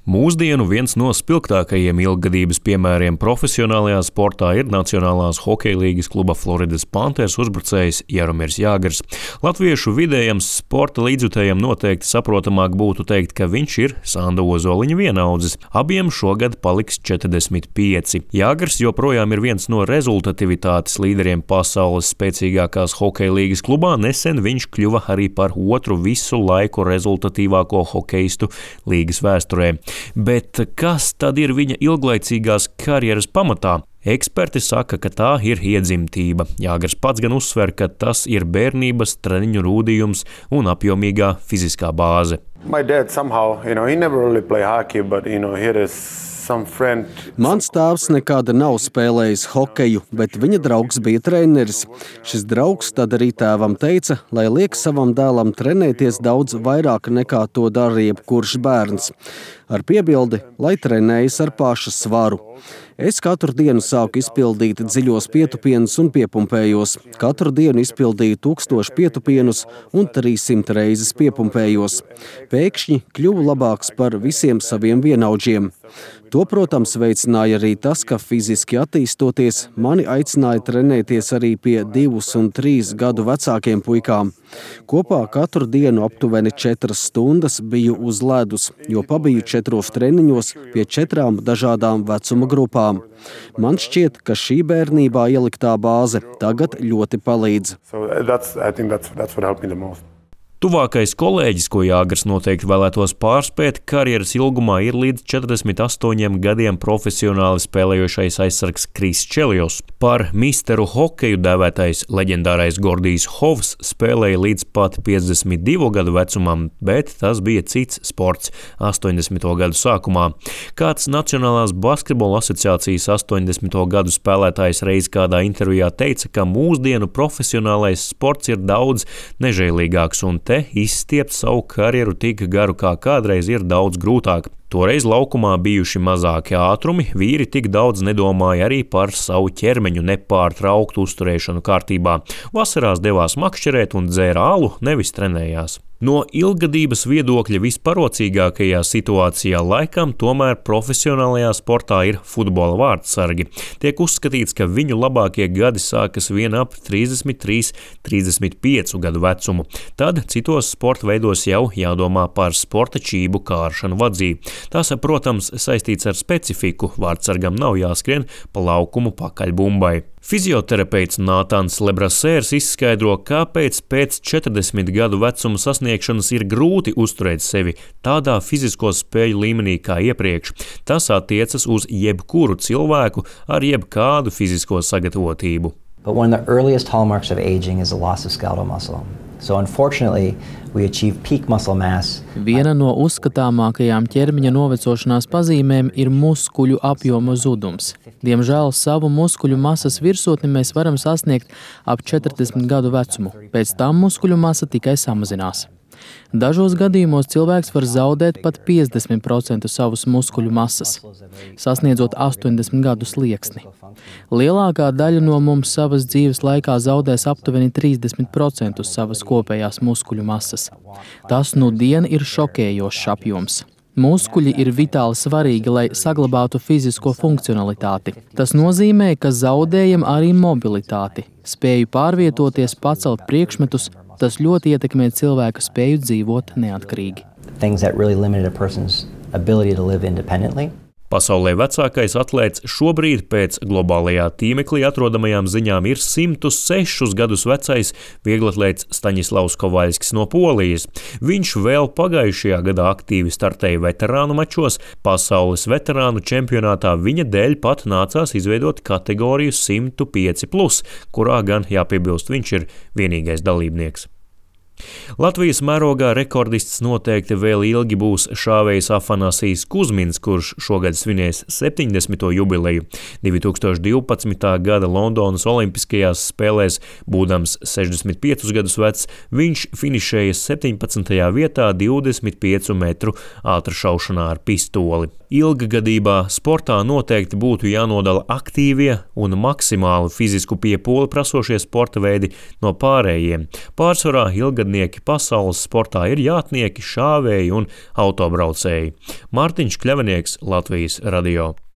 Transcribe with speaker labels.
Speaker 1: Mūsdienu viens no spilgtākajiem ilggadības piemēriem profesionālajā sportā ir Nacionālās hokeja līgas kluba Floridas Panthers uzbrucējs Jaromirs Jāgrs. Latviešu vidējam sporta līdzjutējam noteikti saprotamāk būtu teikt, ka viņš ir Sanda Ozoliņa vienaudzis. Abiem šogad paliks 45. Jāgrs joprojām ir viens no rezultativitātes līderiem pasaules spēcīgākās hokeja līgas klubā. Nesen viņš kļuva arī par otru visu laiku rezultatīvāko hokeistu līgas vēsturē. Bet kas tad ir viņa ilglaicīgās karjeras pamatā? Eksperti saka, ka tā ir iedzimtība. Jāgrs pats gan uzsver, ka tas ir bērnības treniņu rūdījums un apjomīgā fiziskā bāze.
Speaker 2: My dad somehow, he never really played hockey, but here is
Speaker 3: Mans tēvs nekad nav spēlējis hokeju, bet viņa draugs bija treneris. Šis draugs tad arī tēvam teica, lai liek savam dēlam trenēties daudz vairāk nekā to dara jebkurš bērns. Ar piebildi, lai trenējas ar paša svaru. Es katru dienu sāku izpildīt dziļos pietupienus un piepumpējos. Katru dienu izpildīju 1000 pietupienus un 300 reizes piepumpējos. Pēkšņi kļuvu labāks par visiem saviem vienaudžiem. To, protams, veicināja arī tas, ka fiziski attīstoties, mani aicināja trenēties arī pie 2 un 3 gadu vecākiem puikām. Kopā katru dienu aptuveni 4 stundas biju uz ledus, jo pabiju 4 treniņos pie 4 dažādām vecuma grupām. Man šķiet, ka šī bērnībā ieliktā bāze tagad ļoti palīdz.
Speaker 1: Tuvākais kolēģis, ko Jāgrs noteikti vēlētos pārspēt, karjeras ilgumā ir līdz 48 gadiem profesionāli spēlējošais aizsargs Kris Čelijos. Par misteru hokeju dēvētais leģendārais Gordijs Hovs spēlēja līdz pat 52 gadu vecumam, bet tas bija cits sports 80. gadu sākumā. Kāds Nacionālās basketbola asociācijas 80. gadu spēlētājs reiz kādā intervijā teica, ka mūsdienu profesionālais sports ir daudz nežēlīgāks un te izstiept savu karjeru tik garu kā kādreiz ir daudz grūtāk. Toreiz laukumā bijuši mazāki ātrumi, vīri tik daudz nedomāja arī par savu ķermeņu nepārtrauktu uzturēšanu kārtībā. Vasarās devās makšķerēt un dzēra alu, nevis trenējās. No ilggadības viedokļa visparocīgākajā situācijā laikam tomēr profesionālajā sportā ir futbola vārdsargi. Tiek uzskatīts, ka viņu labākie gadi sākas vien ap 33–35 gadu vecumu. Tad citos sporta veidos jau jādomā par sporta čību kāršanu vadzī. Tas, protams, saistīts ar specifiku. Vārdsargam nav jāskrien pa laukumu pakaļ bumbai. Fizioterapeits Nātāns Lebrasērs izskaidro, kāpēc pēc 40 gadu vecuma sasniegšanas ir grūti uzturēt sevi tādā fizisko spēju līmenī kā iepriekš. Tas attiecas uz jebkuru cilvēku ar jebkādu fizisko sagatavotību.
Speaker 4: But one of the earliest hallmarks of aging is the loss of skeletal muscle. So unfortunately, we achieve peak muscle mass.
Speaker 5: Viena no uzskatāmākajām ķermeņa novecošanās pazīmēm ir muskuļu apjoma zudums. Diemžēl savu muskuļu masas virsotni mēs varam sasniegt ap 40 gadu vecumu. Pēc tam muskuļu masa tikai samazinās. Dažos gadījumos cilvēks var zaudēt pat 50% savas muskuļu masas, sasniedzot 80 gadu slieksni. Lielākā daļa no mums savas dzīves laikā zaudēs aptuveni 30% savas kopējās muskuļu masas. Tas nudien ir šokējošs apjoms. Muskuļi ir vitāli svarīgi, lai saglabātu fizisko funkcionalitāti. Tas nozīmē, ka zaudējam arī mobilitāti, spēju pārvietoties, pacelt priekšmetus. Tas ļoti ietekmē cilvēka spēju dzīvot neatkarīgi.
Speaker 1: Pasaulē vecākais atlēts šobrīd pēc globālajā tīmeklī atrodamajām ziņām ir 106 gadus vecais vieglatlēts Staņislavs Kovaļskis no Polijas. Viņš vēl pagājušajā gadā aktīvi startēja veterānu mačos. Pasaules veterānu čempionātā viņa dēļ pat nācās izveidot kategoriju 105+, kurā gan jāpiebilst viņš ir vienīgais dalībnieks. Latvijas mērogā rekordists noteikti vēl ilgi būs šāvējs Afanasijs Kuzmins, kurš šogad svinēs 70. jubileju. 2012. gada Londonas olimpiskajās spēlēs, būdams 65 gadus vecs, viņš finišēja 17. vietā 25 metru ātršaušanā ar pistoli. Ilggadībā sportā noteikti būtu jānodala aktīvie un maksimāli fizisku piepūli prasošie sporta veidi no pārējiem. Pārsvarā ilgadnieki ienaidnieki pasaules sportā ir jātnieki, šāvēji un autobraucēji. Mārtiņš Kļavinieks, Latvijas radio.